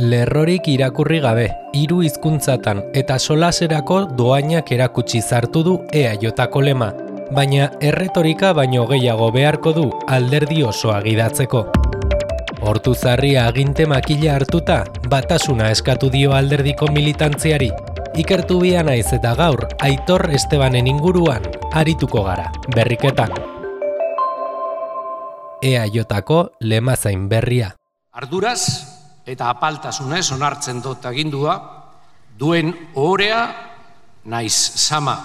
lerrorik irakurri gabe, 3 hizkuntzatan eta solaserako doainak erakutsi zartu du EAJko lema, baina erretorika baino gehiago beharko du alderdi osoa gidatzeko. Ortuzarri aginte makila hartuta, batasuna eskatu dio alderdiko militantziari. Ikertu bia naiz eta gaur, Aitor Estebanen inguruan arituko gara, berriketan. EAJko lema zain berria. Arduraz eta apaltasunez onartzen dut agindua, duen ohorea naiz sama.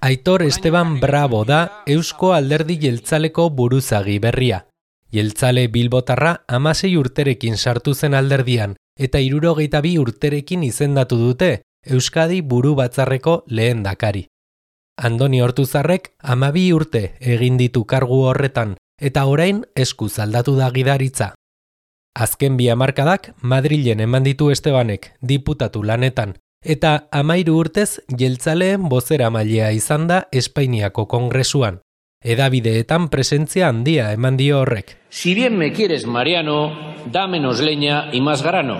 Aitor Esteban Bravo da Eusko Alderdi Jeltzaleko buruzagi berria. Jeltzale bilbotarra 16 urterekin sartu zen alderdian eta 62 urterekin izendatu dute Euskadi buru batzarreko lehendakari. Andoni Ortuzarrek 12 urte egin ditu kargu horretan eta orain eskuz aldatu da gidaritza. Azken 2 hamarkadak Madrilen eman ditu Estebanek diputatu lanetan eta 13 urtez jeltzaleen bozeramailea izan da Espainiako Kongresuan. Edabideetan presentzia handia eman dio horrek. Si bien me quieres, Mariano, da menos leña y más grano.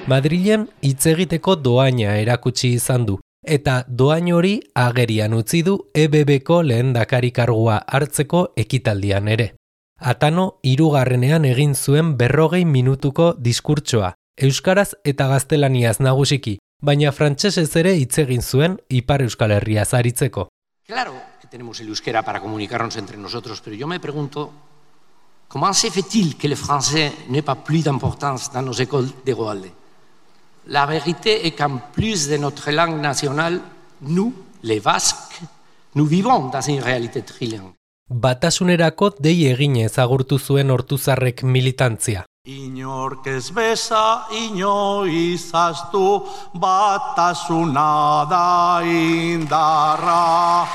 Madrilen hitz egiteko doaina erakutsi izan du, eta doain hori agerian utzi du EBBko lehendakari kargua hartzeko ekitaldian ere. Atano 3. egin zuen 40 minutuko diskurtsoa, euskaraz eta gaztelaniaz nagusiki, baina frantsesez ere hitz egin zuen Ipar Euskal Herriaz aritzeko. Claro que tenemos el euskera para comunicarnos entre nosotros, pero yo me pregunto, comment se fait-il que le français n'ait pas plus d'importance dans nos écoles de Goalde? La vérité est qu'en plus de notre langue nationale, nous, les Basques, nous vivons dans une réalité trilingue. Batasunerako dei eginez agurtu zuen Ortuzarrek militantzia. Inork ez beza, inoiz ahaztu, batasuna da indarra.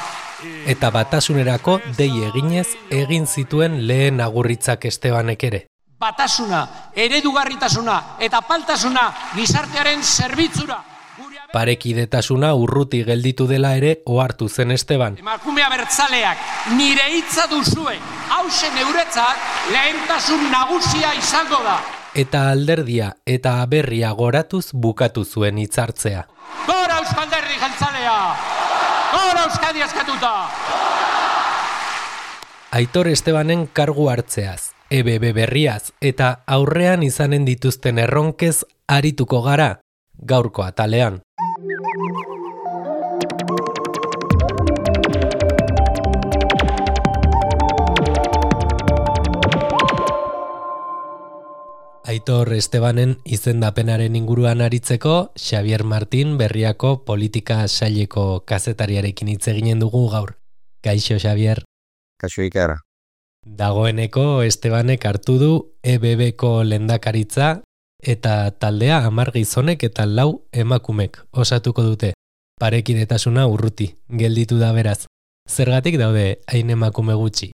Eta batasunerako dei eginez egin zituen lehen agurritzak Estebanek ere. Batasuna, eredugarritasuna eta apaltasuna gizartearen zerbitzura. Parekidetasuna urruti gelditu dela ere ohartu zen Esteban. Emakume abertzaleak, nire hitza duzue, hauxe neuretzat lehentasun nagusia izango da. Eta alderdia eta aberria goratuz bukatu zuen hitzartzea. Gora Euskal Alderdi Jeltzalea! Gora Euskadi askatuta! Aitor Estebanen kargu hartzeaz, EBB berriaz eta aurrean izanen dituzten erronkez arituko gara gaurko atalean. Aitor Estebanen izendapenaren inguruan aritzeko, Xavier Martin Berriako politika saileko kazetariarekin hitz eginen dugu gaur. Kaixo, Xavier. Kaixo, Iker. Dagoeneko Estebanek hartu du EBBko lehendakaritza eta taldea 10 gizonek eta 4 emakumek osatuko dute. Parekidetasuna urruti, gelditu da beraz. Zergatik daude hain emakume gutxi?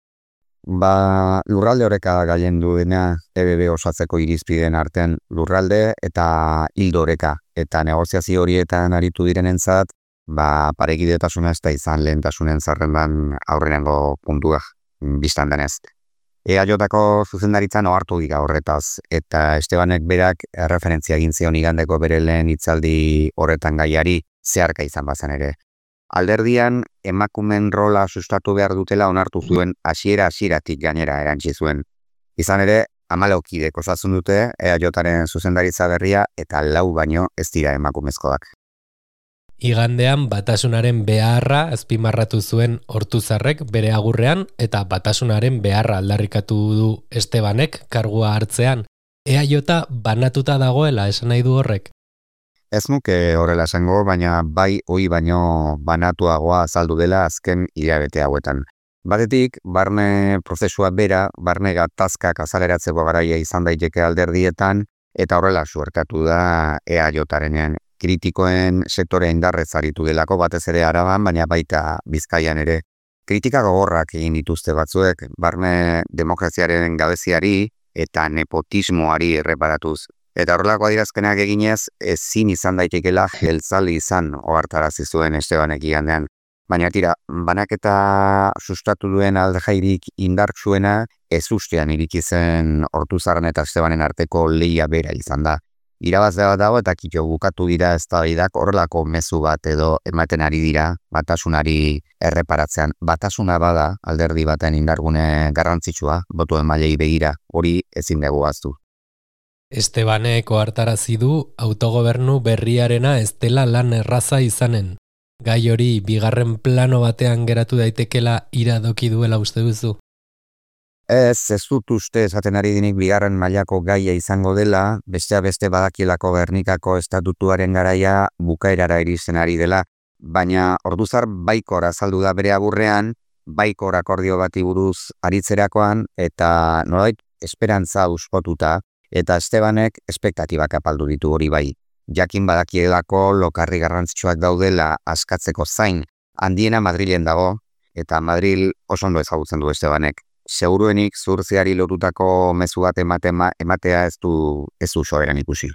Lurralde oreka gailendu dena EBB osatzeko irizpideen artean lurralde eta hildo oreka. Eta negoziazio horietan aritu direnentzat, parekidetasuna ez da izan lehentasunen zerrendan aurrenengo puntua biztan denez. EAJko zuzendaritzan ohartu dira horretaz, eta Estebanek berak referentzia egin zion igandeko bere lehen hitzaldi horretan gaiari zeharka izan bazen ere. Alderdian emakumen rola sustatu behar dutela onartu zuen hasieratik gainera erantsi zuen. Izan ere, 14 kidek osatzen dute EAJaren zuzendaritza berria eta 4 baino ez dira emakumezkoak. Igandean batasunaren beharra azpimarratu zuen Ortuzarrek bere agurrean eta batasunaren beharra aldarrikatu du Estebanek kargua hartzean. EAJ banatuta dagoela esan nahi du horrek? Ez nuke horrela esango, baina bai hoi baino banatuagoa azaldu dela azken hilabete hauetan. Batetik, barne prozesua bera, barne gatazkak azaleratzeko garaia izan daiteke alderdietan, eta horrela suertatu da EAJarenean. Kritikoen sektorea indarrez aritu delako batez ere Araban, baina baita Bizkaian ere. Kritika gogorrak egin dituzte batzuek, barne demokraziaren gabeziari eta nepotismoari erreparatuz. Eta horrelako adierazpenak eginez, ezin izan daitekela jeltzale izan ohartarazi zuen Estebanek igandean. Baina tira, banaketa sustatu duen aldejairik indartsuena ez ustean iriki zen Ortuzarren eta Estebanen arteko lehia bera izan da. irabazle bat dago eta kito bukatu dira eztabaidak horrelako mezu bat edo ematen ari dira batasunari erreparatzean. Batasuna bada alderdi baten indargune garrantzitsua, boto emailei begira, hori ezin dugu ahaztu. Estebanek ohartarazi du autogobernu berriarena ez dela lan erraza izanen. Gai hori bigarren plano batean geratu daitekela iradoki duela uste duzu? Ez dut uste esaten ari dinik bigarren mailako gaia izango dela, beste badakielako Gernikako estatutuaren garaia bukaerara iristen ari dela, baina Orduzar baikor azaldu da bere aburrean, baikor akordio bati buruz aritzerakoan, eta nolabait esperantza uspotuta, eta Estebanek espektatibak apaldu ditu hori bai. Jakin badakielako lokarri garrantzitsuak daudela askatzeko zain, handiena Madrilen dago, eta Madril oso ondo ezagutzen du Estebanek. Seguruenik zuhurtziari lotutako mezu bat ematea ez du soberan ikusi.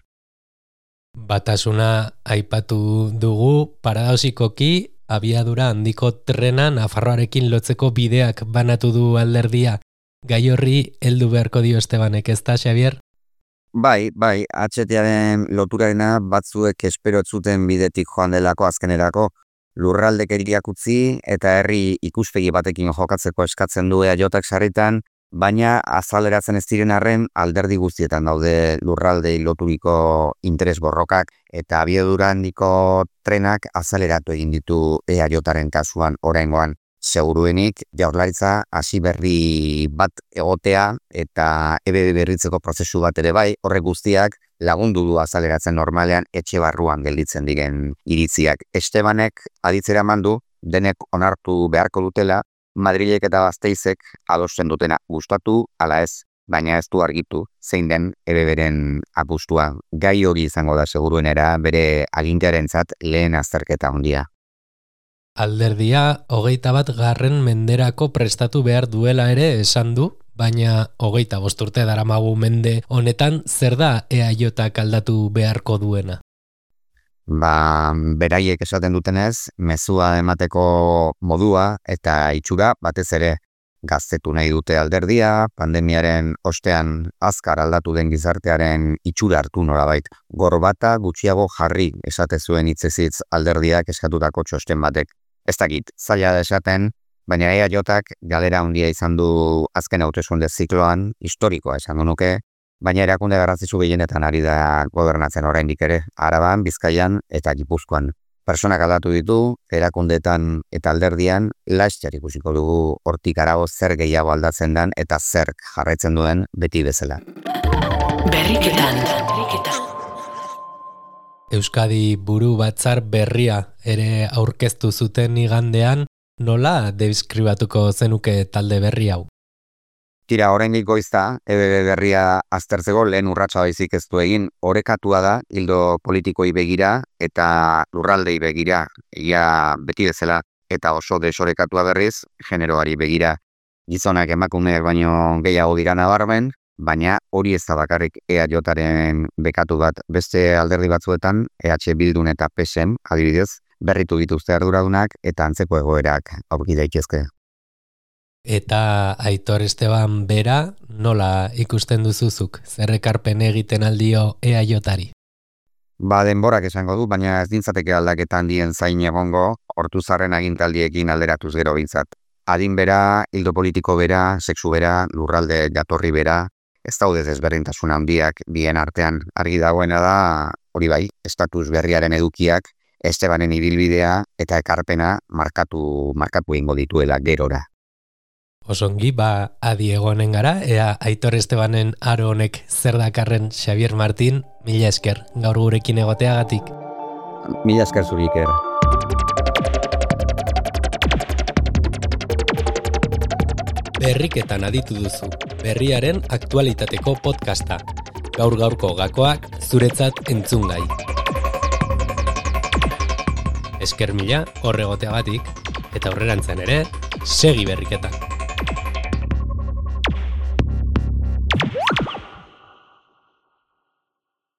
Batasuna aipatu dugu, paradoxikoki abiadura handiko trena Nafarroarekin lotzeko bideak banatu du alderdia. Gai horri heldu beharko dio Estebanek, ez da, Xabier? Bai, HTaren loturarena batzuek espero zuten bidetik joan delako azkenerako, lurraldekeriak utzi eta herri ikuspegi batekin jokatzeko eskatzen du EAJak sarritan, baina azaleratzen ez diren arren alderdi guztietan daude lurraldei loturiko interes borrokak eta abiadura handiko trenak azaleratu egin ditu EAJaren kasuan oraingoan. Seguruenik Jaurlaritza hasi berri bat egotea eta EBB berritzeko prozesu bat ere bai, horrek guztiak lagundu du azaleratzen normalean etxe barruan gelditzen diren iritziak. Estebanek aditzera mandu, denek onartu beharko dutela, Madrilek eta Gasteizek adosten dutena gustatu ala ez, baina ez du argitu zein den EBBren apustua. Gai hori izango da seguruenera bere agintearentzat lehen azterketa handia. Alderdia 21. menderako prestatu behar duela ere esan du, baina 25 urte daramagu mende honetan zer da EAJak aldatu beharko duena? Beraiek esaten dutenez, mezua emateko modua eta itxura batez ere gaztetu nahi dute alderdia, pandemiaren ostean azkar aldatu den gizartearen itxura hartu nolabait. Gorbata gutxiago jarri esate zuen hitzezitz alderdiak eskatutako txosten batek. Ez dakit, zaila da esaten, baina EAJak galera handia izan du azken hauteskunde zikloan, historikoa esango nuke, baina erakunde garrantzitsu gehienetan ari da gobernatzen oraindik ere, Araban, Bizkaian eta Gipuzkoan. Pertsonak aldatu ditu, erakundeetan eta alderdian, laster ikusiko dugu hortik harago zer gehiago aldatzen den eta zer jarraitzen duen beti bezala. Berriketan. Euskadi buru batzar berria ere aurkeztu zuten igandean, nola deskribatuko zenuke talde berri hau? Tira, oraindik goizta, EBB berria aztertzeko lehen urratsa baizik ez du egin, orekatua da, ildo politikoi begira eta lurraldei begira, egia beti bezala, eta oso desorekatua berriz, generoari begira. Gizonak emakumeak baino gehiago dira nabarmen, baina hori ez da bakarrik EAJaren bekatu bat. Beste alderdi batzuetan, EH Bildun eta PSEM, adibidez, berritu dituzte arduradunak eta antzeko egoerak aurki daitezke. Eta Aitor Esteban bera nola ikusten duzuzuk? Zer ekarpen egiten aldio EAJari? Denborak esango du, baina ez dintzateke aldaketa handien zain egongo, Ortuzarren agintaldiekin alderatuz gero bintzat. Adin bera, hildo politiko bera, sexu bera, lurralde jatorri bera, ez daude desberdintasun handiak bien artean. Argi dagoena da, hori bai, estatus berriaren edukiak, Estebanen ibilbidea eta ekarpena markatu egingo dituela gerora. Osongi, adi egonen gara, ea Aitor Estebanen aro honek zer dakarren. Xabier Martin, mila esker gaur gurekin egoteagatik. Mila esker zuri, Iker. Berriketan aditu duzu, berriaren aktualitateko podcasta. Gaur-gaurko gakoak zuretzat entzungai. Esker mila horregoteagatik, eta aurrerantzen ere, segi berriketan.